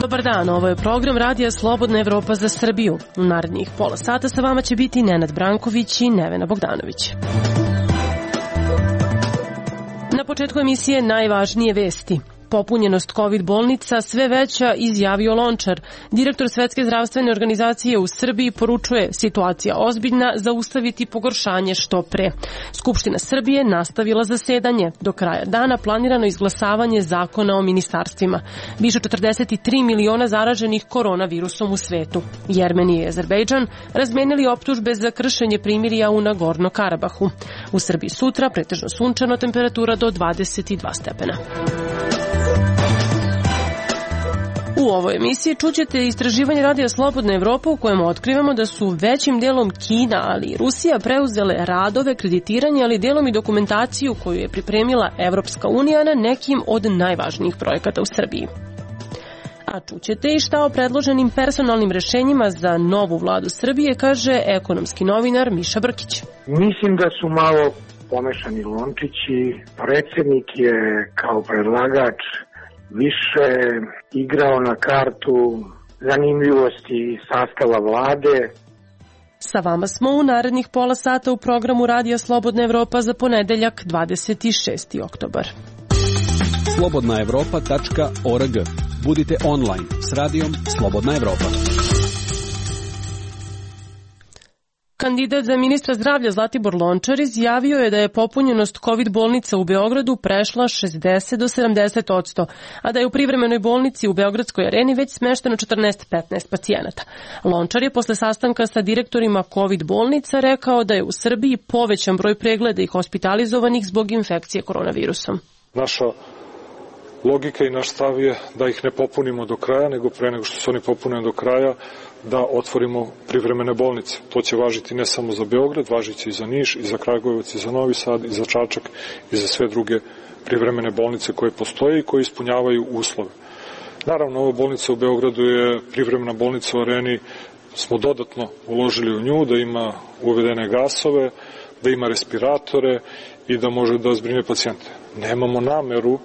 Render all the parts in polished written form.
Dobar dan, ovo je program Radija Slobodna Evropa za Srbiju. U narednih pola sata sa vama će biti Nenad Branković i Nevena Bogdanović. Na početku emisije najvažnije vesti. Popunjenost COVID bolnica sve veća, izjavio Lončar. Direktor Svetske zdravstvene organizacije u Srbiji poručuje situacija ozbiljna, zaustaviti pogoršanje što pre. Skupština Srbije nastavila zasedanje. Do kraja dana planirano izglasavanje zakona o ministarstvima. Više 43 miliona zaraženih koronavirusom u svetu. Jermenija i Azerbejdžan razmenili optužbe za kršenje primirja u Nagorno Karabahu. U Srbiji sutra pretežno sunčano, temperatura do 22 stepena. U ovoj emisiji čućete istraživanje Radija Slobodna Evropa u kojem otkrivamo da su većim delom Kina, ali i Rusija preuzele radove, kreditiranje, ali delom i dokumentaciju koju je pripremila Evropska unija na nekim od najvažnijih projekata u Srbiji. A čućete i šta o predloženim personalnim rešenjima za novu vladu Srbije kaže ekonomski novinar Miša Brkić. Mislim da su malo pomešani lončići. Predsjednik je kao predlagač više igrao na kartu zanimljivosti sastava vlade. Sa vama smo u narednih pola sata u programu Radija Slobodna Evropa za ponedeljak 26. oktobar. slobodnaevropa.org. Budite online s radijom Slobodna Evropa. Kandidat za ministra zdravlja Zlatibor Lončar izjavio je da je popunjenost COVID bolnica u Beogradu prešla 60 do 70%, a da je u privremenoj bolnici u Beogradskoj areni već smešteno 14-15 pacijenata. Lončar je posle sastanka sa direktorima COVID bolnica rekao da je u Srbiji povećan broj pregleda i hospitalizovanih zbog infekcije koronavirusom. Naša logika i naš stav je da ih ne popunimo do kraja, nego pre nego što se oni popune do kraja, da otvorimo privremene bolnice. To će važiti ne samo za Beograd, važiće i za Niš, i za Kragujevac, i za Novi Sad, i za Čačak, i za sve druge privremene bolnice koje postoje i koje ispunjavaju uslove. Naravno, ova bolnica u Beogradu je privremena bolnica u areni, smo dodatno uložili u nju, da ima uvedene gasove, da ima respiratore i da može da zbrine pacijente. Nemamo nameru,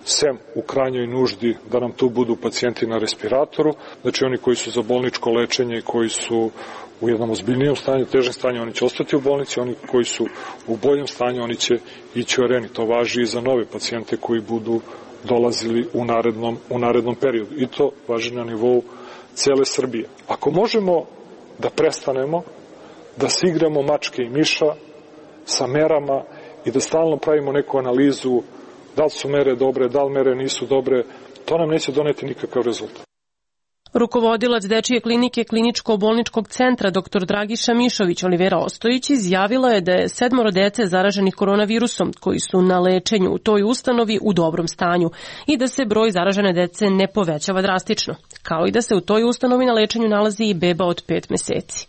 sem u krajnjoj nuždi, da nam tu budu pacijenti na respiratoru, znači oni koji su za bolničko lečenje i koji su u jednom ozbiljnijem stanju, težem stanju, oni će ostati u bolnici, oni koji su u boljem stanju, oni će ići u areni. To važi i za nove pacijente koji budu dolazili u narednom periodu. I to važi na nivou cele Srbije. Ako možemo da prestanemo da se igramo mačke i miša sa merama i da stalno pravimo neku analizu da li su mere dobre, da li mere nisu dobre, to nam neće doneti nikakav rezultat. Rukovodilac Dečije klinike Kliničko-bolničkog centra dr. Dragiša Mišović Olivera Ostojić izjavila je da je 7 dece zaraženih koronavirusom koji su na lečenju u toj ustanovi u dobrom stanju i da se broj zaražene dece ne povećava drastično, kao i da se u toj ustanovi na lečenju nalazi i beba od 5 meseci.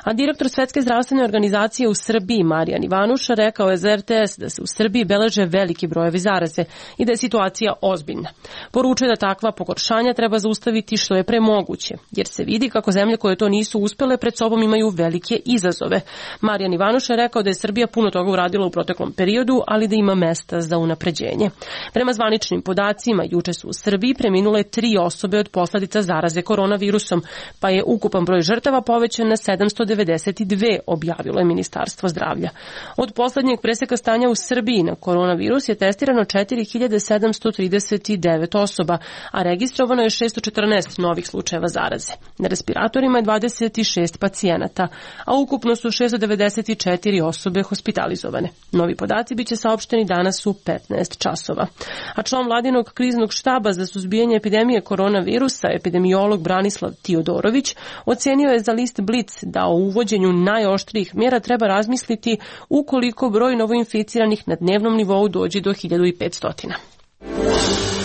A direktor Svetske zdravstvene organizacije u Srbiji Marijan Ivanuša rekao je za RTS da se u Srbiji beleže veliki brojevi zaraze i da je situacija ozbiljna. Poručuje da takva pogoršanja treba zaustaviti što je pre moguće, jer se vidi kako zemlje koje to nisu uspele pred sobom imaju velike izazove. Marijan Ivanuša je rekao da je Srbija puno toga uradila u proteklom periodu, ali da ima mesta za unapređenje. Prema zvaničnim podacima, juče su u Srbiji preminule 3 osobe od posledica zaraze koronavirusom, pa je ukupan broj žrtava povećan na 792, objavilo je Ministarstvo zdravlja. Od poslednjeg preseka stanja u Srbiji na koronavirus je testirano 4739 osoba, a registrovano je 614 novih slučajeva zaraze. Na respiratorima je 26 pacijenata, a ukupno su 694 osobe hospitalizovane. Novi podaci biće saopšteni danas u 15 časova. A član vladinog kriznog štaba za suzbijanje epidemije koronavirusa, epidemiolog Branislav Tiodorović, ocenio je za list Blic da o uvođenju najoštrijih mjera treba razmisliti ukoliko broj novoinficiranih na dnevnom nivou dođe do 1500.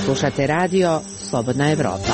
Slušate radio Slobodna Evropa.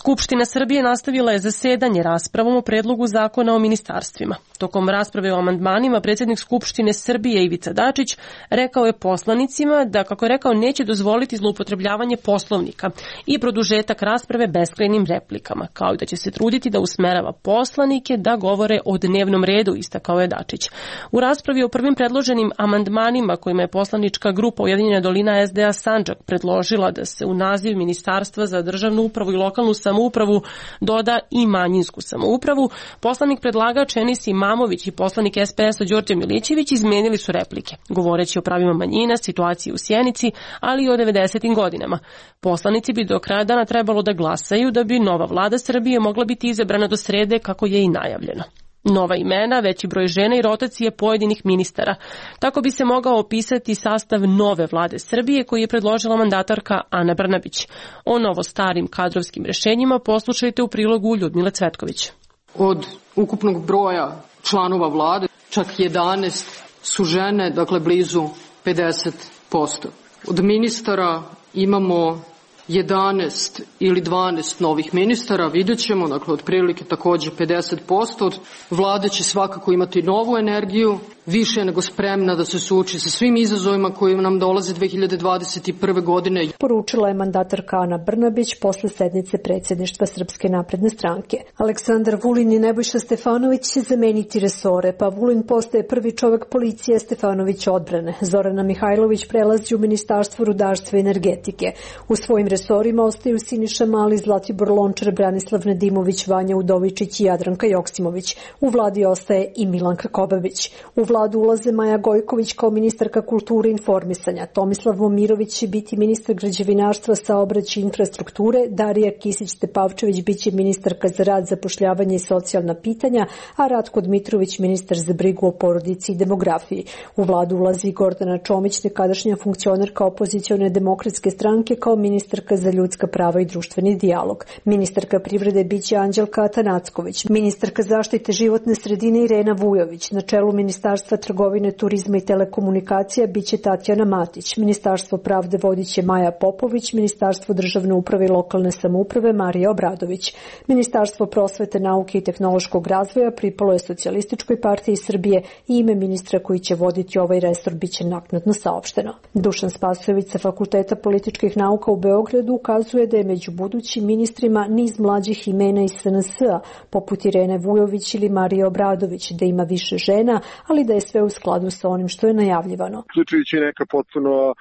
Skupština Srbije nastavila je zasedanje raspravom o predlogu zakona o ministarstvima. Tokom rasprave o amandmanima, predsjednik Skupštine Srbije Ivica Dačić rekao je poslanicima da, kako je rekao, neće dozvoliti zloupotrebljavanje Poslovnika i produžetak rasprave beskrajnim replikama, kao i da će se truditi da usmerava poslanike da govore o dnevnom redu, istakao je Dačić. U raspravi o prvim predloženim amandmanima kojima je poslanička grupa Ujedinjena dolina SDA Sandžak predložila da se u naziv Ministarstva za državnu upravu i lokalnu samoupravu doda i manjinsku samoupravu, poslanik predlagač Enis Imamović i poslanik SPS-a Đorđe Milićević izmenili su replike, govoreći o pravima manjina, situaciji u Sjenici, ali i o 90. godinama. Poslanici bi do kraja dana trebalo da glasaju da bi nova vlada Srbije mogla biti izabrana do srede, kako je i najavljeno. Nova imena, veći broj žena i rotacije pojedinih ministara. Tako bi se mogao opisati sastav nove vlade Srbije koji je predložila mandatarka Ana Brnabić. O novo starim kadrovskim rešenjima poslušajte u prilogu Ljudmile Cvetković. Od ukupnog broja članova vlade, čak 11 su žene, dakle blizu 50%. Od ministara imamo 11 ili 12 novih ministara, vidjet ćemo, dakle otprilike takođe 50%. Od vlade će svakako imati novu energiju, više nego spremna da se suoči sa svim izazovima koji nam dolaze 2021. godine. Poručila je mandatarka Ana Brnabić posle sednice predsjedništva Srpske napredne stranke. Aleksandar Vulin i Nebojša Stefanović će zameniti resore, pa Vulin postaje prvi čovek policije, Stefanović odbrane. Zorana Mihajlović prelazi u Ministarstvo rudarstva i energetike. U svojim resorima ostaju Siniša Mali, Zlatibor Lončar, Branislav Nedimović, Vanja Udovičić i Jadranka Joksimović. U vladi ostaje i Milanka Kobabić. U vladu ulaze Maja Gojković kao ministarka kulture i informisanja. Tomislav Momirović će biti ministar građevinarstva, saobraćaja i infrastrukture. Darija Kisić-Tepavčević biće ministarka za rad, zapošljavanje i socijalna pitanja, a Ratko Dmitrović ministar za brigu o porodici i demografiji. U vladu ulazi Gordana Čomić, nekadašnja funkcionerka opozicione demokratske stranke, kao ministarka za ljudska prava i društveni dijalog. Ministarka privrede biće Anđelka Atanacković. Ministarka zaštite životne sredine Irena Vujović. Na čelu Ministarstva trgovine, turizma i telekomunikacija biće Tatjana Matić. Ministarstvo pravde vodiće Maja Popović. Ministarstvo državne uprave i lokalne samouprave Marija Obradović. Ministarstvo prosvete, nauke i tehnološkog razvoja pripalo je Socijalističkoj partiji Srbije i ime ministra koji će voditi ovaj resor biće naknadno saopšteno. Dušan Spasojević sa Fakulteta političkih nauka u Beogradu ukazuje da je među budućim ministrima niz mlađih imena iz SNS-a, poput Irene Vujović ili Marije Obradović, da ima više žena, ali da je sve u skladu sa onim što je najavljivano. Uključujući neka potpuno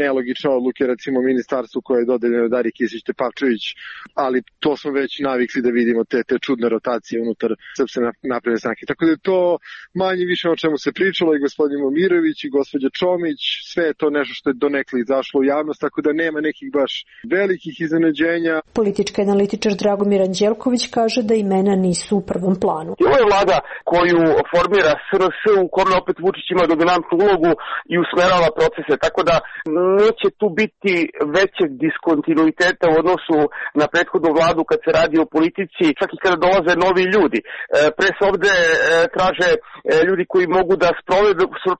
nelogične odluke, recimo ministarstvu koje je dodeljeno Dariji Kisić-Tepavčević, ali to smo već navikli da vidimo te čudne rotacije unutar Srpske napredne stranke. Tako da je to manje više o čemu se pričalo i gospodin Momirović i gospođa Čomić, sve je to nešto što je donekle izašlo u javnost, tako da nema nekih baš velikih iznenađenja. Politički analitičar Dragomir Anđelković kaže da imena nisu u prvom planu. Ovo je vlada koju formira SRS, u kome opet Vučić ima dominantnu ulogu i usmerava procese, tako da neće tu biti većeg diskontinuiteta u odnosu na prethodnu vladu kad se radi o politici, čak i kada dolaze novi ljudi. Pre se ovde traže ljudi koji mogu da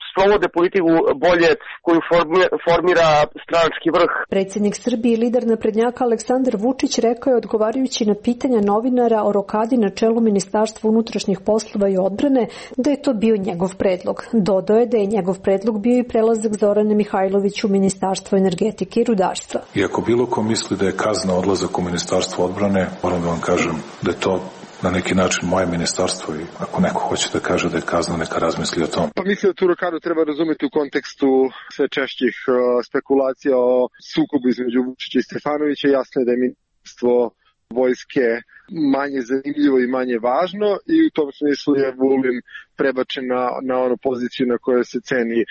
sprovode politiku bolje koju formira stranački vrh. Predsjednik Srbije i lider naprednjaka Aleksandar Vučić rekao je, odgovarajući na pitanja novinara o rokadi na čelu Ministarstva unutrašnjih poslova i odbrane, da je to bio njegov predlog. Dodao je da je njegov predlog bio i prelazak Zorane Mihajlović u Ministarstvo energetike i rudarstva. I ako bilo ko misli da je kazna odlazak u Ministarstvo odbrane, moram da vam kažem da je to na neki način moje ministarstvo i ako neko hoće da kaže da je kazna, neka razmisli o tom. Pa mislim da tu rokadu treba razumeti u kontekstu sve češćih spekulacija o sukobu između Vučića i Stefanovića. Jasno je da je ministarstvo vojske manje zanimljivo i manje važno i u tom smislu je Vulin prebačen na onu poziciju na kojoj se ceni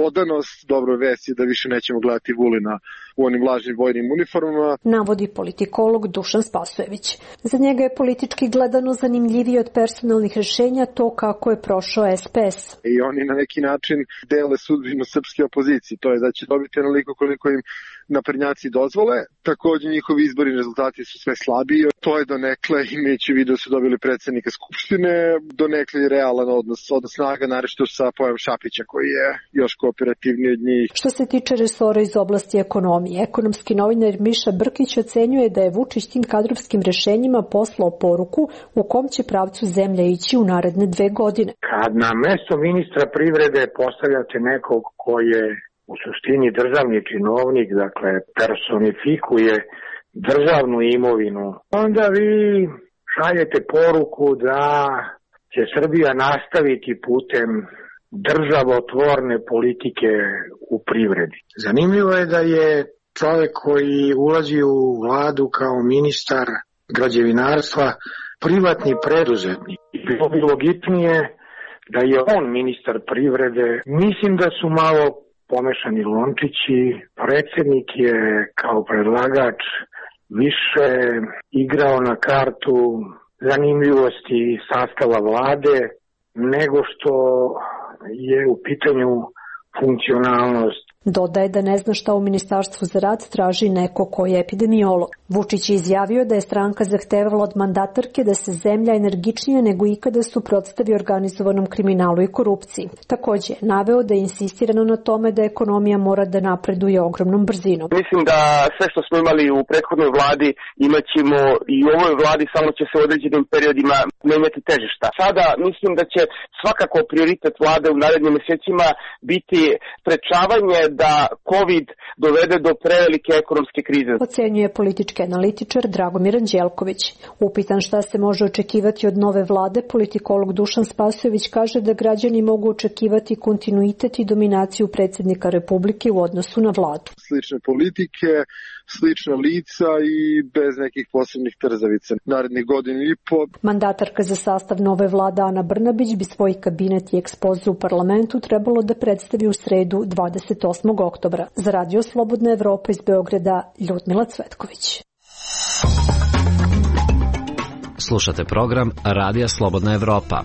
odanost. Dobro vest je da više nećemo gledati Vulina u onim lažnim vojnim uniformama. Navodi politikolog Dušan Spasojević. Za njega je politički gledano zanimljivije od personalnih rješenja to kako je prošao SPS. I oni na neki način dele sudbinu srpske opozicije. To je da će dobiti onoliko koliko im naprednjaci dozvole. Također njihovi izborni rezultati su sve slabiji. To je donekle, imajući vidio su dobili predsjednika Skupštine, donekle je realan odnos snaga, naročito sa Pojavom Šapića koji je još kooperativniji od njih. Što se tiče resora iz oblasti ekonomije, lomi. Ekonomski novinar Miša Brkić ocenjuje da je Vučić tim kadrovskim rešenjima poslao poruku u kom će pravcu zemlja ići u naredne 2 godine. Kad na mesto ministra privrede postavljate nekog ko je u suštini državni činovnik, dakle personifikuje državnu imovinu, onda vi šaljete poruku da će Srbija nastaviti putem državotvorne politike u privredi. Zanimljivo je da je čovjek koji ulazi u vladu kao ministar građevinarstva privatni preduzetnik. Bilo bi logičnije da je on ministar privrede. Mislim da su malo pomešani lončići. Predsjednik je kao predlagač više igrao na kartu zanimljivosti sastava vlade nego što je u pitanju funkcionalnost. Dodaje da ne zna šta u Ministarstvu za rad traži neko ko je epidemiolog. Vučić je izjavio da je stranka zahtevala od mandatarke da se zemlja energičnije nego ikada suprotstavi organizovanom kriminalu i korupciji. Takođe, naveo da je insistirano na tome da ekonomija mora da napreduje ogromnom brzinom. Mislim da sve što smo imali u prethodnoj vladi imaćemo i u ovoj vladi, samo će se u određenim periodima menjati težišta. Sada mislim da će svakako prioritet vlade u narednim mesecima biti sprečavanje da COVID dovede do prevelike ekonomske krize. Ocenjuje politički analitičar Dragomir Anđelković. Upitan šta se može očekivati od nove vlade, politikolog Dušan Spasojević kaže da građani mogu očekivati kontinuitet i dominaciju predsjednika Republike u odnosu na vladu. Slične politike, slična lica i bez nekih posebnih trzavica. Narednih godinu i po. Mandatarka za sastav nove vlade Ana Brnabić bi svoj kabinet i ekspoze u parlamentu trebalo da predstavi u sredu 28. oktobra. Za Radio Slobodna Evropa iz Beograda, Ljudmila Cvetković. Slušate program Radija Slobodna Evropa.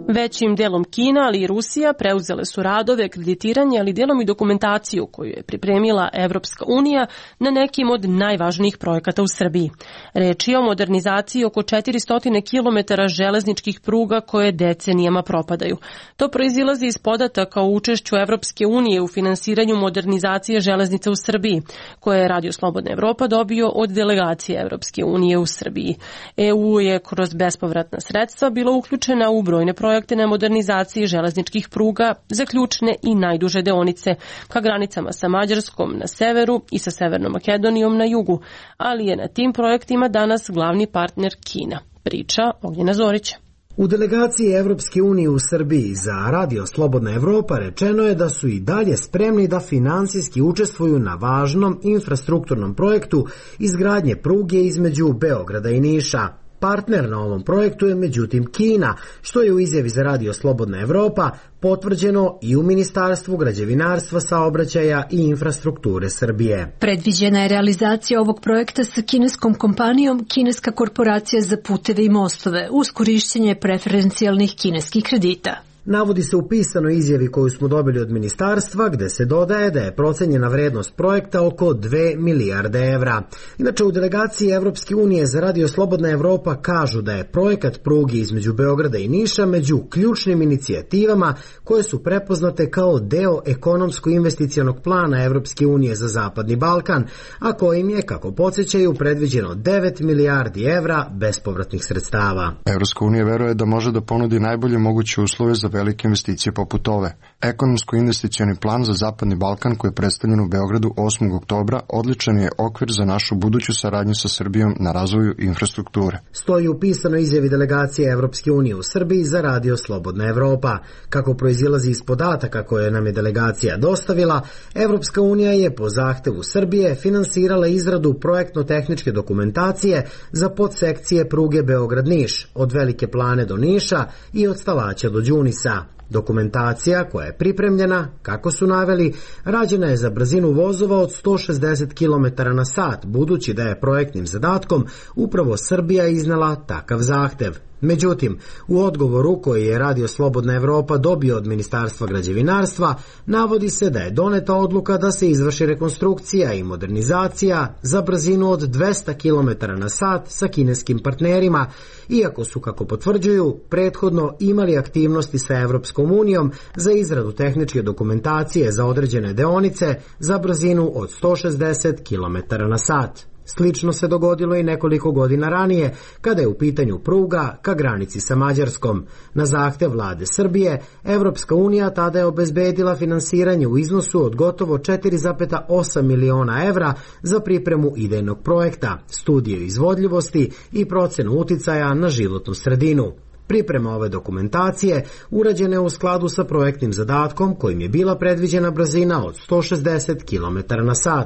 Većim delom Kina, ali i Rusija preuzele su radove, kreditiranje, ali delom i dokumentaciju koju je pripremila Evropska unija na nekim od najvažnijih projekata u Srbiji. Reč je o modernizaciji oko 400 km železničkih pruga koje decenijama propadaju. To proizilazi iz podataka o učešću Evropske unije u finansiranju modernizacije železnica u Srbiji, koje je Radio Slobodna Evropa dobio od delegacije Evropske unije u Srbiji. EU je kroz bespovratna sredstva bila uključena u brojne projekte na modernizaciji železničkih pruga za ključne i najduže deonice ka granicama sa Mađarskom na severu i sa Severnom Makedonijom na jugu, ali je na tim projektima danas glavni partner Kina. Priča Ognjena Zorića. U delegaciji Evropske unije u Srbiji za Radio Slobodna Evropa rečeno je da su i dalje spremni da finansijski učestvuju na važnom infrastrukturnom projektu izgradnje pruge između Beograda i Niša. Partner na ovom projektu je međutim Kina, što je u izjavi za Radio Slobodna Evropa potvrđeno i u Ministarstvu građevinarstva, saobraćaja i infrastrukture Srbije. Predviđena je realizacija ovog projekta sa kineskom kompanijom Kineska korporacija za puteve i mostove uz korišćenje preferencijalnih kineskih kredita. Navodi se u pisanoj izjavi koju smo dobili od ministarstva, gde se dodaje da je procenjena vrednost projekta oko 2 milijarde evra. Inače, u delegaciji Evropske unije za Radio Slobodna Evropa kažu da je projekat pruge između Beograda i Niša među ključnim inicijativama koje su prepoznate kao deo ekonomsko-investicionog plana Evropske unije za Zapadni Balkan, a kojim je, kako podsjećaju, predviđeno 9 milijardi evra bespovratnih sredstava. Evropska unija veruje da može da ponudi najbolje moguće uslove za velike investicije poput ove. Ekonomsko-investicioni plan za Zapadni Balkan koji je predstavljen u Beogradu 8. oktobra odličan je okvir za našu buduću saradnju sa Srbijom na razvoju infrastrukture. Stoji u pisanoj izjavi delegacije Evropske unije u Srbiji za Radio Slobodna Evropa. Kako proizilazi iz podataka koje nam je delegacija dostavila, Evropska unija je po zahtevu Srbije finansirala izradu projektno-tehničke dokumentacije za podsekcije pruge Beograd-Niš, od Velike Plane do Niša i od Stalaća do Đunisa. Dokumentacija koja je pripremljena, kako su naveli, rađena je za brzinu vozova od 160 km na sat, budući da je projektnim zadatkom upravo Srbija iznala takav zahtev. Međutim, u odgovoru koji je Radio Slobodna Evropa dobio od Ministarstva građevinarstva, navodi se da je doneta odluka da se izvrši rekonstrukcija i modernizacija za brzinu od 200 km/h sa kineskim partnerima, iako su, kako potvrđuju, prethodno imali aktivnosti sa Evropskom unijom za izradu tehničke dokumentacije za određene deonice za brzinu od 160 km/h. Slično se dogodilo i nekoliko godina ranije, kada je u pitanju pruga ka granici sa Mađarskom. Na zahtev vlade Srbije, Evropska unija tada je obezbedila finansiranje u iznosu od gotovo 4,8 miliona evra za pripremu idejnog projekta, studiju izvodljivosti i procenu uticaja na životnu sredinu. Priprema ove dokumentacije urađena je u skladu sa projektnim zadatkom kojim je bila predviđena brzina od 160 km/h.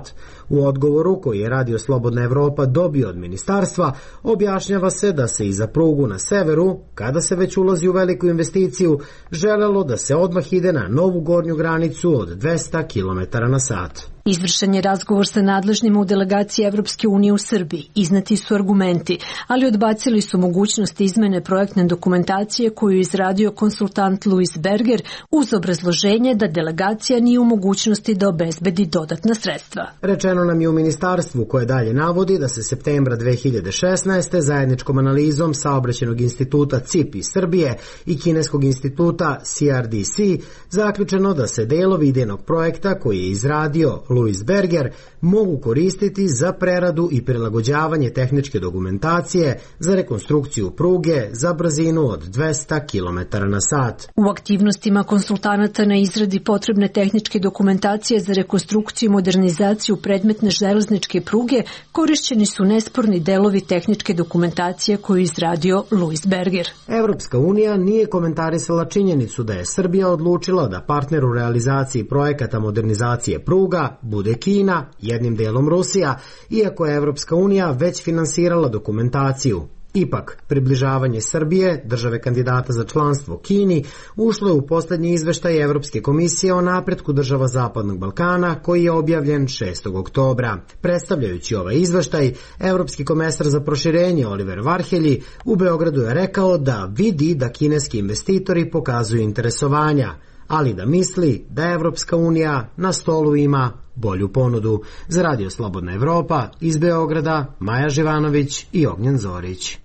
U odgovoru koji je Radio Slobodna Evropa dobio od ministarstva, objašnjava se da se i za prugu na severu, kada se već ulazi u veliku investiciju, želelo da se odmah ide na novu gornju granicu od 200 km/h. Izvršen je razgovor sa nadležnima u delegaciji Evropske unije u Srbiji. Izneti su argumenti, ali odbacili su mogućnost izmene projektne dokumentacije koju je izradio konsultant Louis Berger uz obrazloženje da delegacija nije u mogućnosti da obezbedi dodatna sredstva. Rečeno nam je u ministarstvu, koje dalje navodi da se septembra 2016. zajedničkom analizom Saobraćajnog instituta CIP iz Srbije i Kineskog instituta CRDC zaključeno da se delovi idejnog projekta koji je izradio Louis Berger mogu koristiti za preradu i prilagođavanje tehničke dokumentacije za rekonstrukciju pruge za brzinu od 200 km/h. U aktivnostima konsultanata na izradi potrebne tehničke dokumentacije za rekonstrukciju i modernizaciju predmetne železničke pruge korišćeni su nesporni delovi tehničke dokumentacije koju je izradio Louis Berger. Evropska unija nije komentarisala činjenicu da je Srbija odlučila da partner u realizaciji projekata modernizacije pruga bude Kina, jednim delom Rusija, iako je Evropska unija već finansirala dokumentaciju. Ipak, približavanje Srbije, države kandidata za članstvo Kini, ušlo je u poslednji izveštaj Evropske komisije o napretku država Zapadnog Balkana, koji je objavljen 6. oktobra. Predstavljajući ovaj izveštaj, Evropski komesar za proširenje Oliver Varhelji u Beogradu je rekao da vidi da kineski investitori pokazuju interesovanja, ali da misli da Evropska unija na stolu ima bolju ponudu. Za Radio Slobodna Evropa iz Beograda, Maja Živanović i Ognjen Zorić.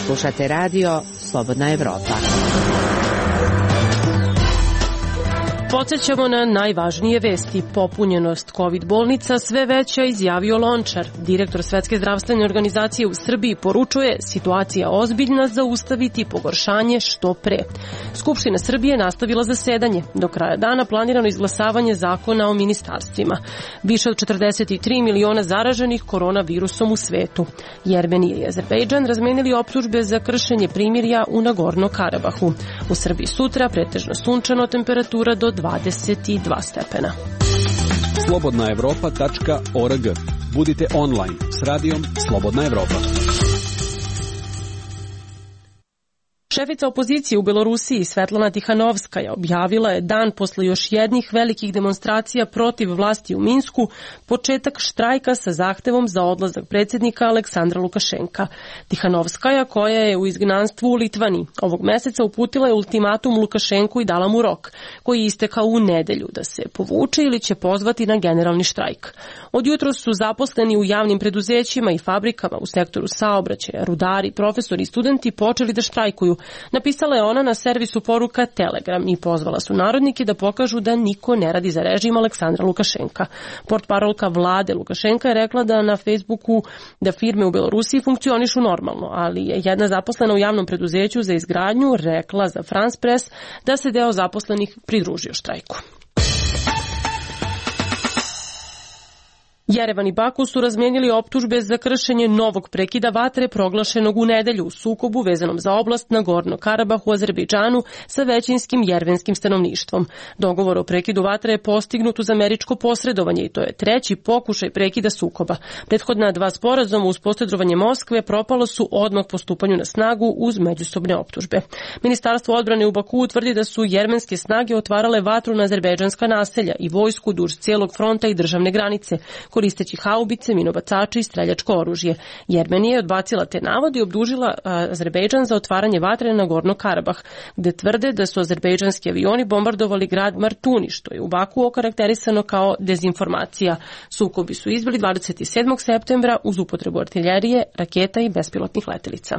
Slušate Radio Slobodna Evropa. Podsećamo na najvažnije vesti. Popunjenost COVID bolnica sve veća, izjavio Lončar. Direktor Svetske zdravstvene organizacije u Srbiji poručuje: situacija ozbiljna, zaustaviti pogoršanje što pre. Skupština Srbije nastavila zasedanje. Do kraja dana planirano izglasavanje zakona o ministarstvima. Više od 43 miliona zaraženih koronavirusom u svetu. Jermenija i Azerbejdžan razmenili optužbe za kršenje primirja u Nagorno-Karabahu. U Srbiji sutra pretežno sunčano, temperatura do 22 stepena. slobodnaevropa.org. Budite online s radijom Slobodna Evropa. Šefica opozicije u Belorusiji Svetlana Tihanovskaja objavila je dan posle još jednih velikih demonstracija protiv vlasti u Minsku početak štrajka sa zahtevom za odlazak predsjednika Aleksandra Lukašenka. Tihanovskaja, koja je u izgnanstvu u Litvaniji, ovog meseca uputila je ultimatum Lukašenku i dala mu rok, koji je istekao u nedelju, da se povuče ili će pozvati na generalni štrajk. Od jutros su zaposleni u javnim preduzećima i fabrikama u sektoru saobraćaja, rudari, profesori i studenti počeli da štrajkuju. Napisala je ona na servisu poruka Telegram i pozvala su narodnike da pokažu da niko ne radi za režim Aleksandra Lukašenka. Portparolka vlade Lukašenka je rekla da na Facebooku da firme u Belorusiji funkcionišu normalno, ali je jedna zaposlena u javnom preduzeću za izgradnju rekla za France Press da se deo zaposlenih pridružio štrajku. Jerevan i Baku su razmijenili optužbe za kršenje novog prekida vatre proglašenog u nedelju u sukobu vezanom za oblast Nagorno-Karabah u Azerbejdžanu sa većinskim jermenskim stanovništvom. Dogovor o prekidu vatre je postignut uz američko posredovanje i to je treći pokušaj prekida sukoba. Prethodna dva sporazuma uz posredovanje Moskve propalo su odmah po stupanju na snagu uz međusobne optužbe. Ministarstvo odbrane u Baku tvrdi da su jermenske snage otvarale vatru na azerbejdžanska naselja i vojsku duž cijelog fronta i državne granice, koristeći haubice, minobacače i streljačko oružje. Jermenija je odbacila te navode i obdužila Azerbejdžan za otvaranje vatre na Gorno Karabah, gde tvrde da su azerbejdžanski avioni bombardovali grad Martuni, što je u Baku okarakterisano kao dezinformacija. Sukobi su izbili 27. septembra uz upotrebu artiljerije, raketa i bespilotnih letelica.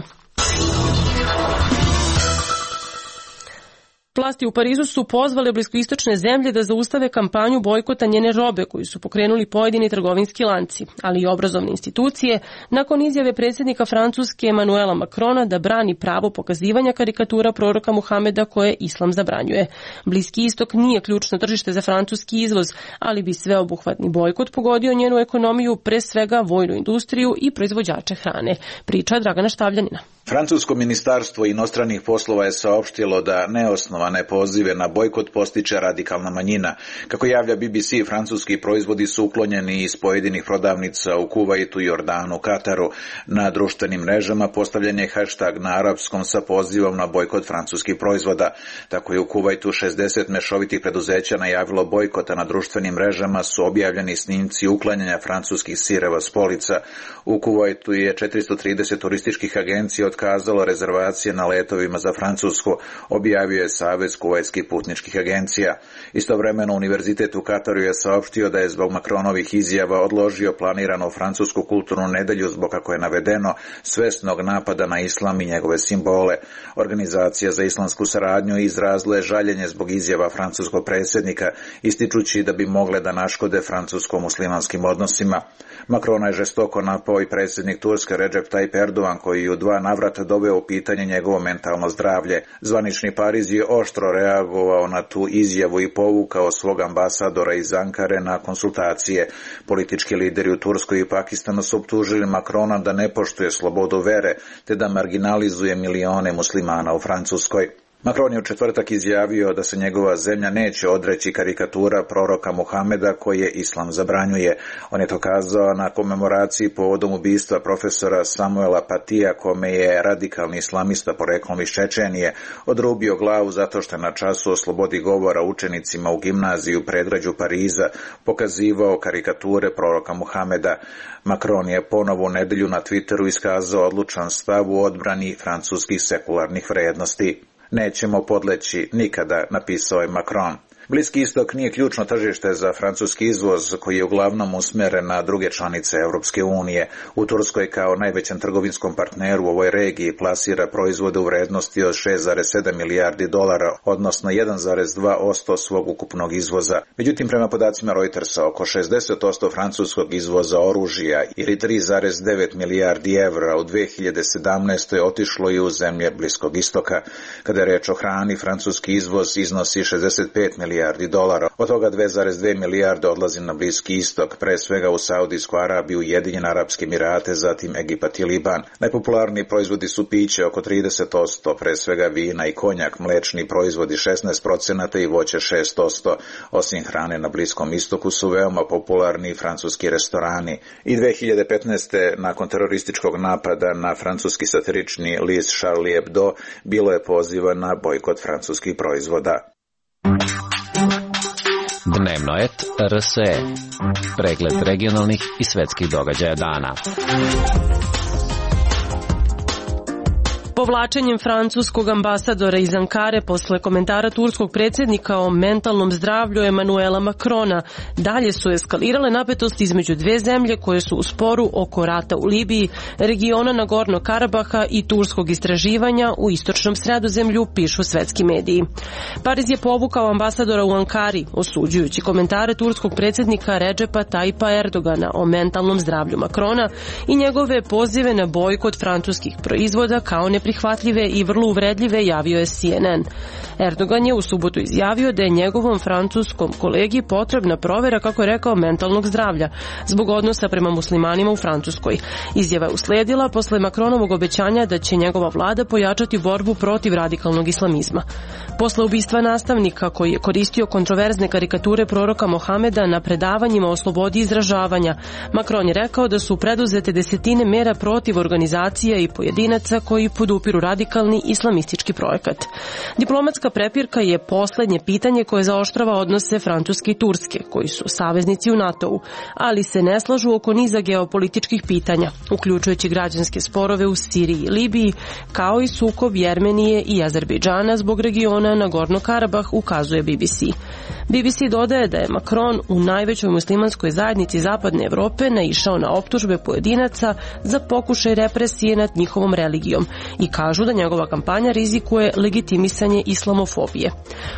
Vlasti u Parizu su pozvale bliskoistočne zemlje da zaustave kampanju bojkota njene robe koju su pokrenuli pojedini trgovinski lanci, ali i obrazovne institucije, nakon izjave predsjednika Francuske Emmanuela Macrona da brani pravo pokazivanja karikatura proroka Muhameda koje islam zabranjuje. Bliski istok nije ključno tržište za francuski izvoz, ali bi sveobuhvatni bojkot pogodio njenu ekonomiju, pre svega vojnu industriju i proizvođače hrane. Priča Dragana Štavljanina. Francusko ministarstvo inostranih poslova je saopštilo da neosnovane pozive na bojkot postiče radikalna manjina. Kako javlja BBC, francuski proizvodi su uklonjeni iz pojedinih prodavnica u Kuvajtu, Jordanu, Kataru. Na društvenim mrežama postavljen je hashtag na arapskom sa pozivom na bojkot francuskih proizvoda. Tako je u Kuvajtu 60 mešovitih preduzeća najavilo bojkota. Na društvenim mrežama su objavljeni snimci uklanjanja francuskih sireva s polica. U Kuvajtu je 430 turističkih agencija otkazalo rezervacije na letovima za Francusku, objavio je Savez kuvajtskih putničkih agencija. Istovremeno Univerzitet u Kataru je saopštio da je zbog Macronovih izjava odložio planiranu francusku kulturnu nedelju zbog, kako je navedeno, svesnog napada na islam i njegove simbole. Organizacija za islamsku saradnju izrazila je žaljenje zbog izjava francuskog predsjednika, ističući da bi mogle da naškode francusko-muslimanskim odnosima. Macrona je žestoko napao i predsjednik Turske Recep Tayyip Erdogan, koji je u 2 navrata doveo u pitanje njegovo mentalno zdravlje. Zvanični Pariz je oštro reagovao na tu izjavu i povukao svog ambasadora iz Ankare na konsultacije. Politički lideri u Turskoj i Pakistanu su optužili Macrona da ne poštuje slobodu vere, te da marginalizuje milione muslimana u Francuskoj. Macron je u četvrtak izjavio da se njegova zemlja neće odreći karikatura proroka Muhameda koje islam zabranjuje. On je to kazao na komemoraciji povodom ubistva profesora Samuela Patija, kome je radikalni islamista poreklom iz Čečenije odrubio glavu zato što je na času o slobodi govora učenicima u gimnaziji u predgrađu Pariza pokazivao karikature proroka Muhameda. Macron je ponovo u nedelju na Twitteru iskazao odlučan stav u odbrani francuskih sekularnih vrednosti. Nećemo podleći nikada, napisao je Macron. Bliski istok nije ključno tržište za francuski izvoz, koji je uglavnom usmjeren na druge članice Europske unije. U Turskoj kao najvećem trgovinskom partneru u ovoj regiji plasira proizvode u vrednosti od 6,7 milijardi dolara, odnosno 1,2% svog ukupnog izvoza. Međutim, prema podacima Reutersa, oko 60% francuskog izvoza oružja ili 3,9 milijardi evra u 2017. otišlo i u zemlje Bliskog istoka. Kada je reč o hrani, francuski izvoz iznosi 65 milijardi dolara. Od toga 2,2 milijarde odlazi na Bliski istok, pre svega u Saudijsku Arabiju, Ujedinjene Arapske Emirate, zatim Egipat i Liban. Najpopularniji proizvodi su piće oko 30%, pre svega vina i konjak, mlečni proizvodi 16% i voće 6%. Osim hrane na Bliskom istoku su veoma popularni francuski restorani. I 2015. nakon terorističkog napada na francuski satirični list Charlie Hebdo bilo je poziva na bojkot francuskih proizvoda. Dnevno et RSE. Pregled regionalnih i svetskih događaja dana. Povlačenjem francuskog ambasadora iz Ankare posle komentara turskog predsjednika o mentalnom zdravlju Emmanuela Macrona dalje su eskalirale napetosti između dve zemlje koje su u sporu oko rata u Libiji, regiona Nagorno Karabaha i turskog istraživanja u istočnom Sredozemlju, pišu svetski mediji. Pariz je povukao ambasadora u Ankari, osuđujući komentare turskog predsjednika Recepa Tayyipa Erdogana o mentalnom zdravlju Macrona i njegove pozive na bojkot francuskih proizvoda kao neprihvatljive i vrlo uvredljive, javio je CNN. Erdogan je u subotu izjavio da je njegovom francuskom kolegi potrebna provjera, kako je rekao, mentalnog zdravlja zbog odnosa prema muslimanima u Francuskoj. Izjava je usledila posle Macronovog obećanja da će njegova vlada pojačati borbu protiv radikalnog islamizma. Posle ubistva nastavnika koji je koristio kontroverzne karikature proroka Mohameda na predavanjima o slobodi izražavanja, Macron je rekao da su preduzete desetine mera protiv organizacija i pojedinaca koji podupiraju podupiru radikalni islamistički projekat. Diplomatska prepirka je poslednje pitanje koje zaoštrava odnose Francuske i Turske, koji su saveznici u NATO-u, ali se ne slažu oko niza geopolitičkih pitanja, uključujući građanske sporove u Siriji i Libiji, kao i sukob Jermenije i Azerbejdžana zbog regiona Nagorno-Karabah, ukazuje BBC. BBC dodaje da je Macron u najvećoj muslimanskoj zajednici Zapadne Evrope naišao na optužbe pojedinaca za pokušaj represije nad njihovom religijom i kažu da njegova kampanja rizikuje legitimisanje islamofobije.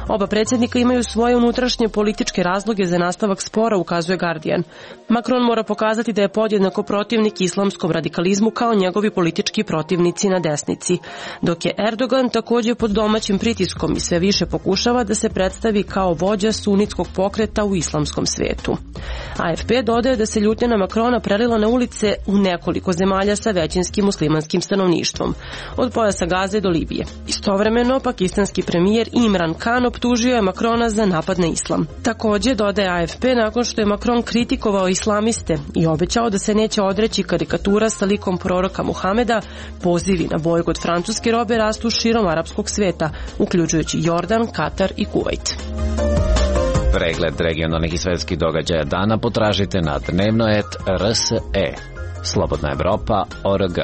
Oba predsjednika imaju svoje unutrašnje političke razloge za nastavak spora, ukazuje Guardian. Macron mora pokazati da je podjednako protivnik islamskom radikalizmu kao njegovi politički protivnici na desnici, dok je Erdogan također pod domaćim pritiskom i sve više pokušava da se predstavi kao vođa sunitskog pokreta u islamskom svetu. AFP dodaje da se ljutnja na Macrona prelila na ulice u nekoliko zemalja sa većinskim muslimanskim stanovništvom, od pojasa Gaze do Libije. Istovremeno, pakistanski premijer Imran Khan optužio je Macrona za napad na islam. Također, dodaje AFP, nakon što je Macron kritikovao islamiste i obećao da se neće odreći karikatura sa likom proroka Muhameda, pozivi na bojkot francuske robe rastu širom arapskog sveta, uključujući Jordan, Katar i Kuvajt. Pregled regionalnih i svetskih događaja dana potražite na dnevnoet.rse. Slobodna Evropa.org.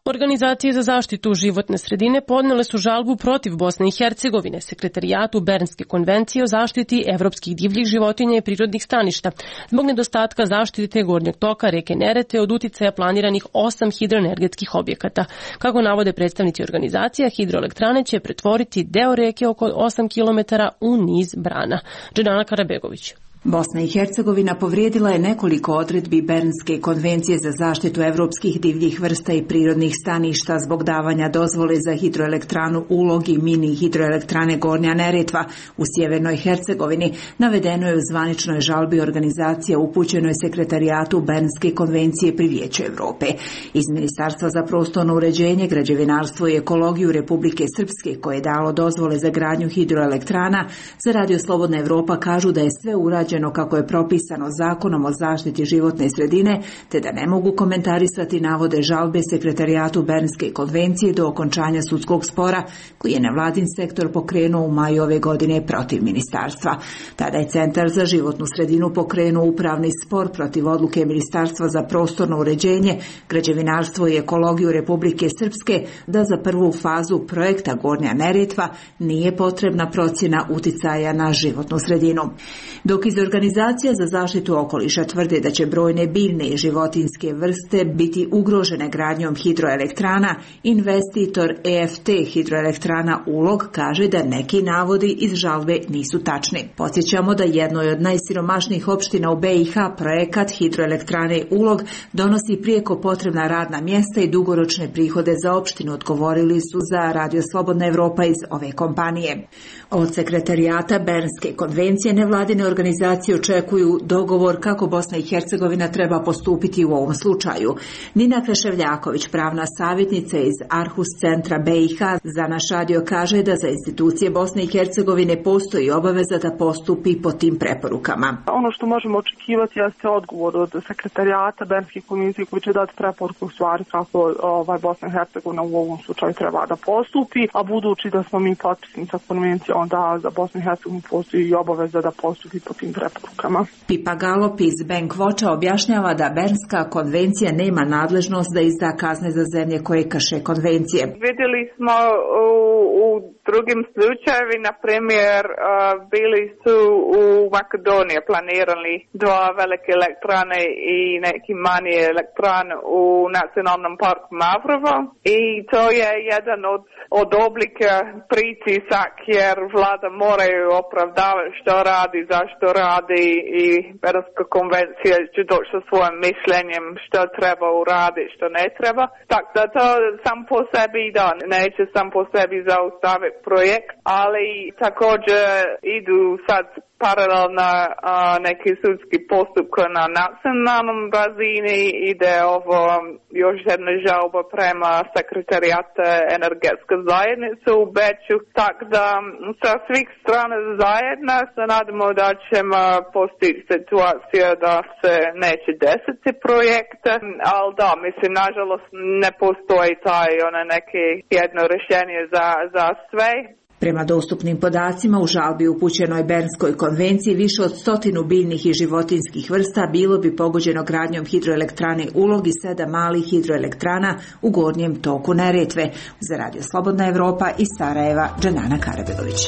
Organizacije za zaštitu životne sredine podnele su žalbu protiv Bosne i Hercegovine, Sekretarijatu Bernske konvencije o zaštiti evropskih divljih životinja i prirodnih staništa, zbog nedostatka zaštite gornjeg toka reke Neretve od uticaja planiranih 8 hidroenergetskih objekata. Kako navode predstavnici organizacija, hidroelektrane će pretvoriti deo reke oko 8 km u niz brana. Dženana Karabegović. Bosna i Hercegovina povrijedila je nekoliko odredbi Bernske konvencije za zaštitu evropskih divljih vrsta i prirodnih staništa zbog davanja dozvole za hidroelektranu Ulog i mini hidroelektrane Gornja Neretva u sjevernoj Hercegovini, navedeno je u zvaničnoj žalbi organizacija upućenoj Sekretarijatu Bernske konvencije pri Vijeću Evrope. Iz Ministarstva za prostorno uređenje, građevinarstvo i ekologiju Republike Srpske, koje je dalo dozvole za gradnju hidroelektrana, za Radio Slobodna Evropa kažu da je sve urađeno kako je propisano Zakonom o zaštiti životne sredine, te da ne mogu komentarisati navode žalbe Sekretarijatu Bernske konvencije do okončanja sudskog spora koji je nevladin sektor pokrenuo u maju ove godine protiv ministarstva. Tada je Centar za životnu sredinu pokrenuo upravni spor protiv odluke Ministarstva za prostorno uređenje, građevinarstvo i ekologiju Republike Srpske da za prvu fazu projekta Gornja Neretva nije potrebna procjena uticaja na životnu sredinu. Dok iz Organizacija za zaštitu okoliša tvrde da će brojne biljne i životinjske vrste biti ugrožene gradnjom hidroelektrana, investitor EFT hidroelektrana Ulog kaže da neki navodi iz žalbe nisu tačni. Podsjećamo da jednoj od najsiromašnijih opština u BiH projekat hidroelektrane Ulog donosi prijeko potrebna radna mjesta i dugoročne prihode za opštinu, odgovorili su za Radio Slobodna Evropa iz ove kompanije. Od Sekretarijata Bernske konvencije nevladine organizacije očekuju dogovor kako Bosna i Hercegovina treba postupiti u ovom slučaju. Nina Kreševljaković, pravna savjetnica iz Arhus centra BiH, za naš radio kaže da za institucije Bosne i Hercegovine postoji obaveza da postupi po tim preporukama. Ono što možemo očekivati jeste odgovor od Sekretarijata Bernske konvencije koji će dati preporuku u stvari kako Bosna i Hercegovina u ovom slučaju treba da postupi, a budući da smo mi potpisnica konvencije, onda za Bosnu i Hercegovinu postoji i obaveza da postupi po tim preporukama. Pipa Galop iz Bank Watcha objašnjava da Bernska konvencija nema nadležnost da izda kazne za zemlje koje krše konvencije. Vidjeli smo u drugim slučajevi, na primjer, bili su u Makedoniji planirali dva velike elektrane i neki manje elektrane u nacionalnom parku Mavrovo i to je jedan od oblika pritisak jer vlada moraju opravdavati što radi, zašto radi i Bernska konvencija će doći sa svojim mišljenjem što treba uraditi, što ne treba. Tako da to sam po sebi neće sam po sebi zaustaviti projekt, ali također idu sad paralelna neki sudski postupka na nacionalnom razini i da je ovo još jedna žalba prema sekretarijata energetske zajednice u Beču. Tako da sa svih strana zajedno se nadamo da ćemo postići situacija da se neće desiti projekte, ali da, mislim, nažalost ne postoji taj neke jedno rješenje za sve. Prema dostupnim podacima, u žalbi upućenoj Bernskoj konvenciji više od 100 biljnih i životinjskih vrsta bilo bi pogođeno gradnjom hidroelektrane Ulog i 7 malih hidroelektrana u gornjem toku Neretve. Za Radio Slobodna Evropa iz Sarajeva, Džanana Karabelović.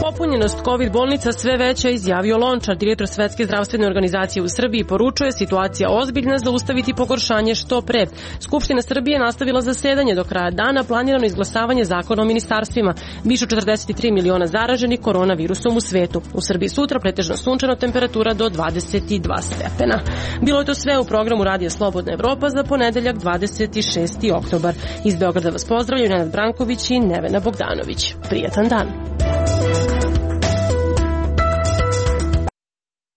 Popunjenost COVID bolnica sve veća, izjavio Lončar, direktor Svetske zdravstvene organizacije u Srbiji, poručuje situacija ozbiljna, zaustaviti pogoršanje što pre. Skupština Srbije nastavila zasedanje do kraja dana, planirano izglasavanje zakona o ministarstvima. Više 43 miliona zaraženih koronavirusom u svetu. U Srbiji sutra pretežno sunčano, temperatura do 22 stepena. Bilo je to sve u programu Radija Slobodna Evropa za ponedeljak 26. oktobar. Iz Beograda vas pozdravljaju Nenad Branković i Nevena Bogdanović. Prijatan dan.